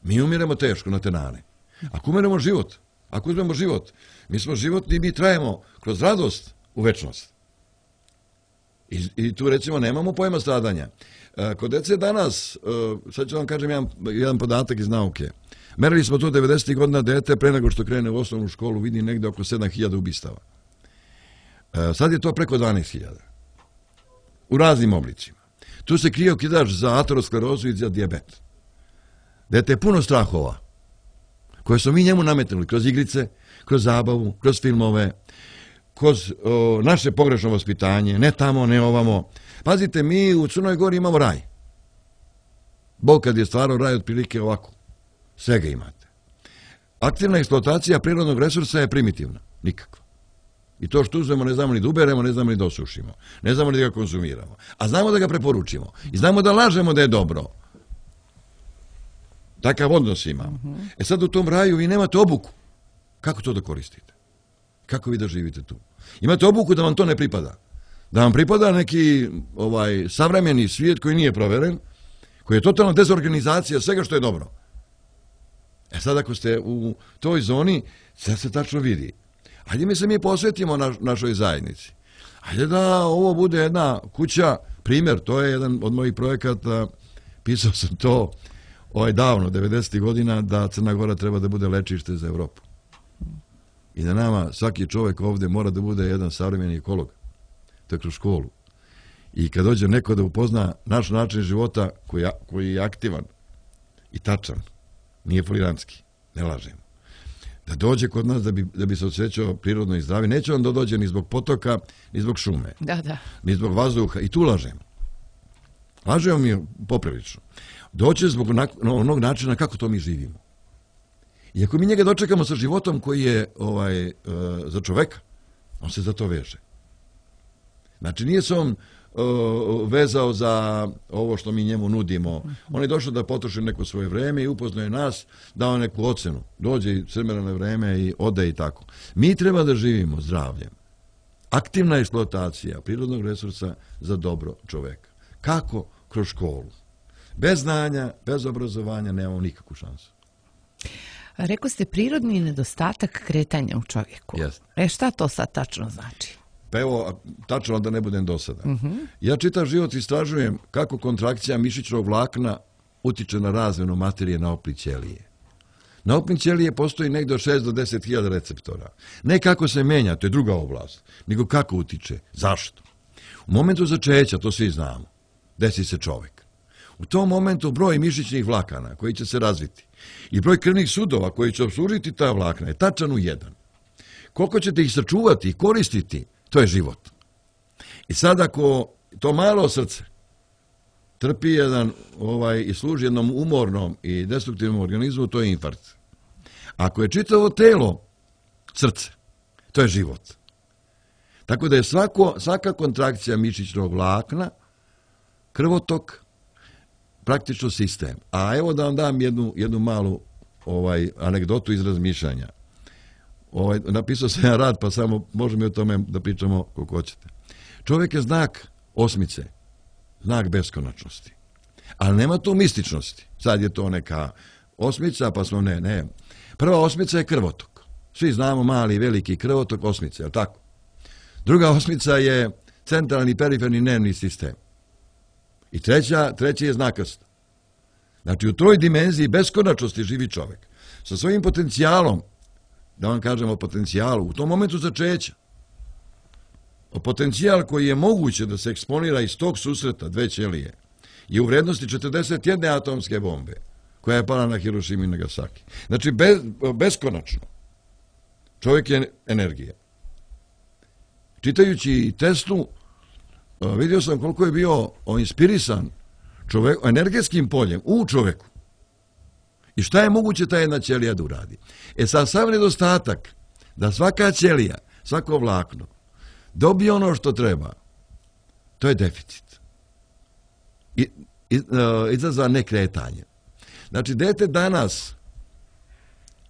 mi umiremo teško na tenane. Ako umiremo život, ako uzmemo život, mi smo životni i mi trajemo kroz radost u večnost. I, i tu recimo nemamo pojma stradanja. Kod dece danas, sad ću vam kažem jedan, jedan podatak iz nauke. Merili smo to devedesetih godina, dete pre nego što krene u osnovnu školu vidi negde oko sedam hiljada ubistava. Sad je to preko dvanaest hiljada. U raznim oblicima. Tu se krije okidač za aterosklerozu i za dijabet. Dete je puno strahova koje smo mi njemu nametnuli kroz igrice, kroz zabavu, kroz filmove, kroz o, naše pogrešno vaspitanje, ne tamo, ne ovamo. Pazite, mi u Crnoj Gori imamo raj. Bog kad je stvarao raj otprilike ovako. Svega imate. Aktivna eksploatacija prirodnog resursa je primitivna. Nikakva. I to što uzmemo ne znamo ni da uberemo, ne znamo ni da osušimo. Ne znamo ni da ga konzumiramo. A znamo da ga preporučimo. I znamo da lažemo da je dobro. Takav odnos ima. E sad u tom raju vi nemate obuku. Kako to da koristite? Kako vi da živite tu? Imate obuku da vam to ne pripada. Da vam pripada neki ovaj savremeni svijet koji nije proveren, koji je totalna dezorganizacija svega što je dobro. E sad ako ste u toj zoni, sve se tačno vidi. Hajde mi se mi posvetimo na, našoj zajednici. Hajde da ovo bude jedna kuća, primjer, to je jedan od mojih projekata, pisao sam to ovaj davno, devedesetih godina, da Crna Gora treba da bude lečište za Evropu. I da nama svaki čovjek ovdje mora da bude jedan savremeni ekolog. To je kroz školu. I kad dođe neko da upozna naš način života koji, koji je aktivan i tačan, nije folirantski, ne lažemo, da dođe kod nas da bi, da bi se osjećao prirodno i zdravi, neće on da dođe ni zbog potoka, ni zbog šume, da, da. ni zbog vazduha. I tu lažemo. Lažemo mi poprilično. Doće zbog onog načina kako to mi živimo. I ako mi njega dočekamo sa životom koji je ovaj, uh, za čoveka, on se za to veže. Znači nije se on uh, vezao za ovo što mi njemu nudimo. On je došao da potroši neko svoje vreme i upoznaje nas, dao neku ocenu. Dođe i crmerano vreme i ode i tako. Mi treba da živimo zdravljem. Aktivna eksploatacija prirodnog resursa za dobro čoveka. Kako? Kroz školu. Bez znanja, bez obrazovanja nemamo nikakvu šansu. Rekao ste prirodni nedostatak kretanja u čovjeku. Yes. E šta to sad tačno znači? Pa evo, tačno da ne budem dosadan. Uh-huh. Ja čitav život istražujem kako kontrakcija mišićnog vlakna utiče na razmenu materije na opli ćelije. Na opli ćelije postoji negdje od šest do deset hiljada receptora. Ne kako se menja, to je druga oblast, nego kako utiče. Zašto? U momentu začeća, to svi znamo, desi se čovjek. U tom momentu broj mišićnih vlakana koji će se razviti i broj krvnih sudova koji će obslužiti ta vlakna je tačan u jedan. Koliko ćete ih sačuvati i koristiti, to je život. I sad ako to malo srce trpi jedan ovaj, i služi jednom umornom i destruktivnom organizmu, to je infarkt. Ako je čitavo telo srce, to je život. Tako da je svako, svaka kontrakcija mišićnog vlakna krvotok, praktično sistem. A evo da vam dam jednu, jednu malu ovaj, anegdotu iz razmišljanja. Ovaj, napisao sam jedan rad, pa samo možemo i o tome da pričamo koliko hoćete. Čovjek je znak osmice, znak beskonačnosti. Ali nema tu mističnosti. Sad je to neka osmica, pa smo ne, ne. Prva osmica je krvotok. Svi znamo mali i veliki krvotok osmice, je li tako? Druga osmica je centralni periferni nervni sistem. I treća, treći je znakast. Znači u toj dimenziji beskonačnosti živi čovjek. Sa svojim potencijalom, da vam kažem o potencijalu, u tom momentu začeća. O potencijal koji je moguće da se eksponira iz tog susreta dve ćelije je u vrednosti četrdeset jedne atomske bombe koja je pala na Hirošimu i Nagasaki. Znači bez, beskonačno. Čovjek je energija. Čitajući Teslu, vidio sam koliko je bio inspirisan čovjek, energetskim poljem u čovjeku. I šta je moguće ta jedna ćelija da uradi? E sad sav nedostatak da svaka ćelija, svako vlakno dobije ono što treba, to je deficit. I, i, uh, izazva nekretanje. Znači, dete danas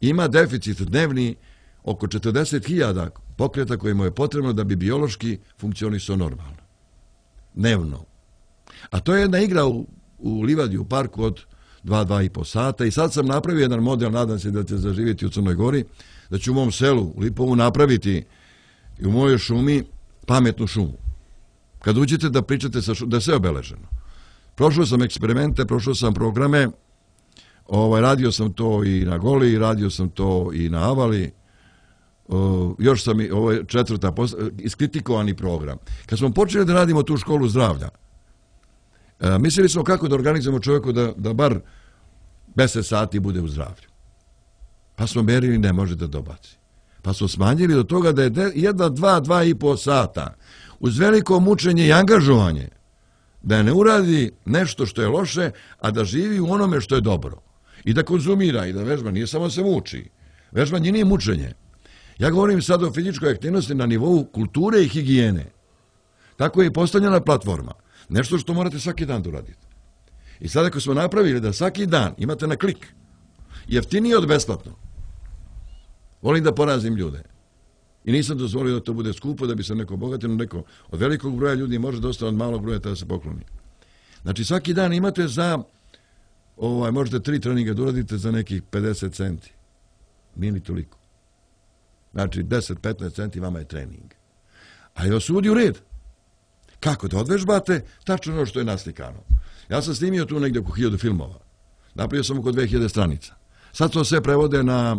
ima deficit dnevni oko četrdeset hiljada pokreta koji mu je potrebno da bi biološki funkcionisao normalno. Dnevno. A to je jedna igra u, u livadi, u parku od dva, dva i po sata i sad sam napravio jedan model, nadam se da će zaživjeti u Crnoj Gori, da ću u mom selu, u Lipovu, napraviti i u mojoj šumi pametnu šumu. kad uđete da pričate sa šu, da je sve obeleženo. Prošao sam eksperimente, prošao sam programe, ovaj, radio sam to i na Goli, radio sam to i na Avali, o, još sam i, ovo je četvrta, iskritikovani program. Kad smo počeli da radimo tu školu zdravlja, e, mislili smo kako da organizujemo čovjeku da, da bar deset sati bude u zdravlju. Pa smo merili, ne može da dobaci. Pa smo smanjili do toga da je jedna, dva, dva i po sata uz veliko mučenje i angažovanje da ne uradi nešto što je loše, a da živi u onome što je dobro. I da konzumira i da vežba, nije samo se muči. Vežbanje nije mučenje. Ja govorim sad o fizičkoj aktivnosti na nivou kulture i higijene. Tako je i postavljena platforma. Nešto što morate svaki dan da uradite. I sad ako smo napravili da svaki dan imate na klik, jeftinije od besplatno, volim da porazim ljude. I nisam dozvolio da to bude skupo, da bi se neko obogatio, neko od velikog broja ljudi može dosta od malog broja da se pokloni. Znači svaki dan imate za, ovaj, možete tri treninga da uradite za nekih pedeset centi. Nije ni toliko. Znači deset do petnaest centi vama je trening. A je vas uvodi u red. Kako da odvežbate? Tačno ono što je naslikano. Ja sam snimio tu negdje oko hiljadu filmova. Napravio sam oko dve hiljade stranica. Sad to sve prevode na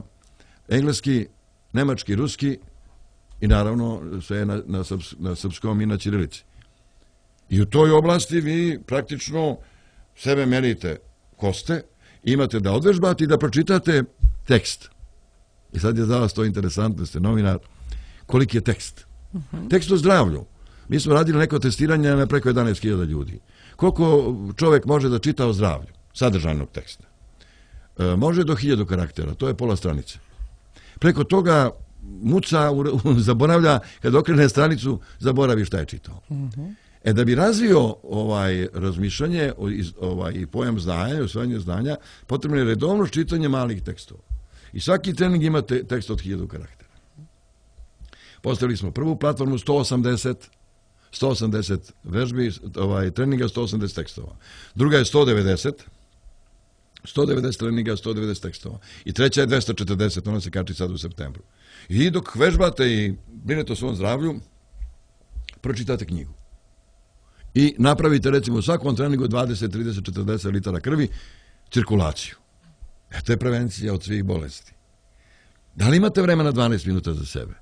engleski, nemački, ruski i naravno sve na, na, srps, na srpskom i na ćirilici. I u toj oblasti vi praktično sebe merite ko ste, imate da odvežbate i da pročitate tekst. I sad je za vas to interesantno, ste novinar, koliki je tekst. Uh-huh. Tekst o zdravlju. Mi smo radili neko testiranje na preko jedanaest hiljada ljudi. Koliko čovjek može da čita o zdravlju, sadržajnog teksta? E, može do hiljadu karaktera, to je pola stranice. Preko toga muca, zaboravlja, kad okrene stranicu, zaboravi šta je čitao. Uh-huh. E da bi razvio ovaj razmišljanje ovaj, i pojam znanja, usvajanje znanja, potrebno je redovno čitanje malih tekstova. I svaki trening ima te, tekst od hiljadu karaktera. Postavili smo prvu platformu, sto osamdeset, sto osamdeset vežbi, ovaj, treninga, sto osamdeset tekstova. Druga je sto devedeset, sto devedeset treninga, sto devedeset tekstova. I treća je dvesta četrdeset, ona se kači sad u septembru. I dok vežbate i brinete o svom zdravlju, pročitate knjigu. I napravite recimo u svakom treningu dvadeset, trideset, četrdeset litara krvi, cirkulaciju. E, to je prevencija od svih bolesti. Da li imate vremena dvanaest minuta za sebe?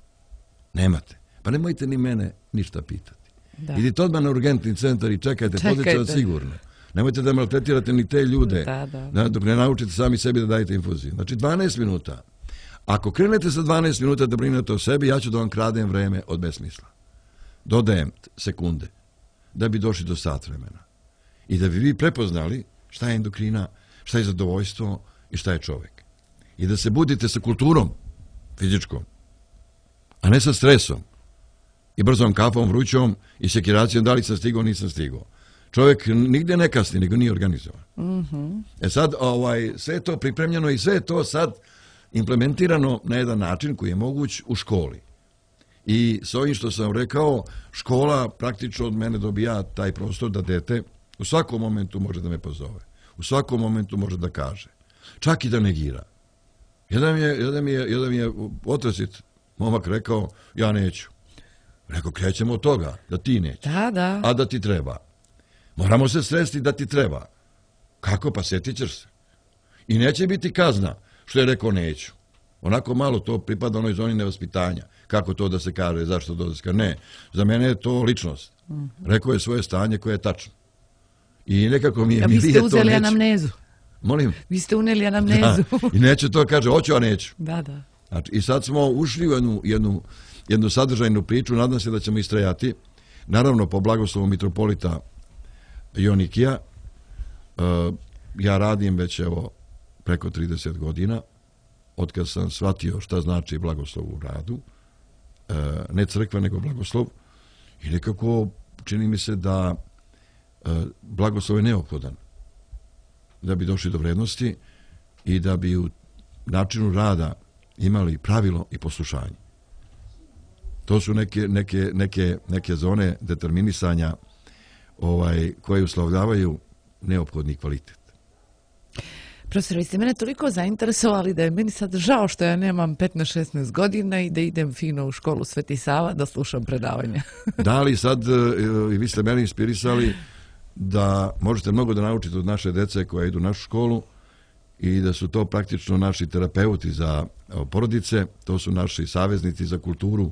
Nemate. Pa nemojte ni mene ništa pitati. Da. Idite odmah na urgentni centar i čekajte, čekajte. Pozicija sigurno. Nemojte da maltretirate ni te ljude, da, da. Dok ne naučite sami sebi da dajete infuziju. Znači dvanaest minuta. Ako krenete sa dvanaest minuta da brinete o sebi, ja ću da vam kradem vreme od besmisla. Dodajem sekunde da bi došli do sat vremena. I da bi vi prepoznali šta je endokrina, šta je zadovoljstvo i šta je čovjek. I da se budite sa kulturom fizičkom, a ne sa stresom i brzom kafom, vrućom i sekiracijom da li sam stigao, nisam stigao. Čovjek nigdje ne kasni, nego nije organizovan. Mm-hmm. E sad, ovaj, sve je to pripremljeno i sve je to sad implementirano na jedan način koji je moguć u školi. I s ovim što sam rekao, škola praktično od mene dobija taj prostor da dete u svakom momentu može da me pozove. U svakom momentu može da kaže. Čak i da negira. Jedan mi je, jedan mi je, jedan mi je otresit momak rekao, ja neću. Rekao, krećemo od toga, da ti nećeš. Da, da. A da ti treba. Moramo se sresti da ti treba. Kako? Pa sjetit ćeš se. I neće biti kazna što je rekao neću. Onako malo to pripada onoj zoni nevaspitanja. Kako to da se kaže, zašto to da se kaže? Ne, za mene je to ličnost. Mm-hmm. Rekao je svoje stanje koje je tačno. I nekako mi je... A vi ste uzeli neću. Anamnezu. Molim? Vi ste uneli anamnezu. Da. I neće to kaže, hoću, a neću. Da, da. Znači, i sad smo ušli u jednu, jednu, jednu sadržajnu priču, nadam se da ćemo istrajati. Naravno, po blagoslovu mitropolita Jonikija, uh, ja radim već evo preko trideset godina, otkad sam shvatio šta znači blagoslov u radu, uh, ne crkva nego blagoslov, i nekako čini mi se da uh, blagoslov je neophodan da bi došli do vrednosti i da bi u načinu rada imali pravilo i poslušanje. To su neke, neke, neke, neke zone determinisanja ovaj, koje uslovljavaju neophodni kvalitet. Profesor, vi ste mene toliko zainteresovali da je meni sad žao što ja nemam petnaest šesnaest godina i da idem fino u školu Sveti Sava da slušam predavanja. Da li sad i vi ste mene inspirisali da možete mnogo da naučite od naše dece koja idu u našu školu i da su to praktično naši terapeuti za porodice, to su naši saveznici za kulturu,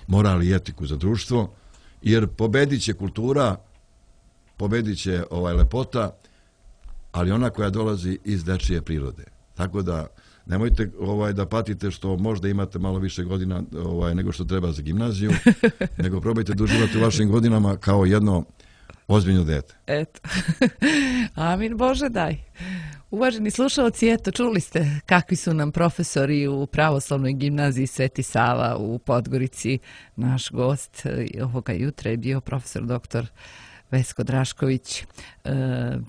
moral i etiku za društvo, jer pobedit će kultura, pobedit će ovaj lepota, ali ona koja dolazi iz dečije prirode. Tako da nemojte ovaj, da patite što možda imate malo više godina ovaj, nego što treba za gimnaziju, nego probajte da uživate u vašim godinama kao jedno ozbiljno dete. Eto. Amin Bože daj. Uvaženi slušalci, eto, čuli ste kakvi su nam profesori u Pravoslavnoj gimnaziji Sveti Sava u Podgorici. Naš gost ovoga jutra je bio profesor doktor Vesko Drašković. E,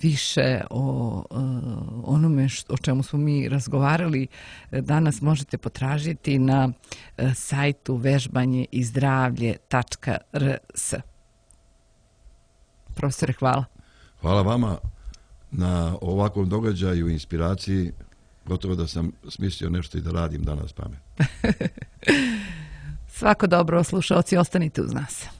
više o e, onome što, o čemu smo mi razgovarali danas možete potražiti na e, sajtu vežbanje i zdravlje tačka r s. Profesore, hvala. Hvala vama na ovakvom događaju i inspiraciji. Gotovo da sam smislio nešto i da radim danas pamet. Svako dobro, slušalci, ostanite uz nas.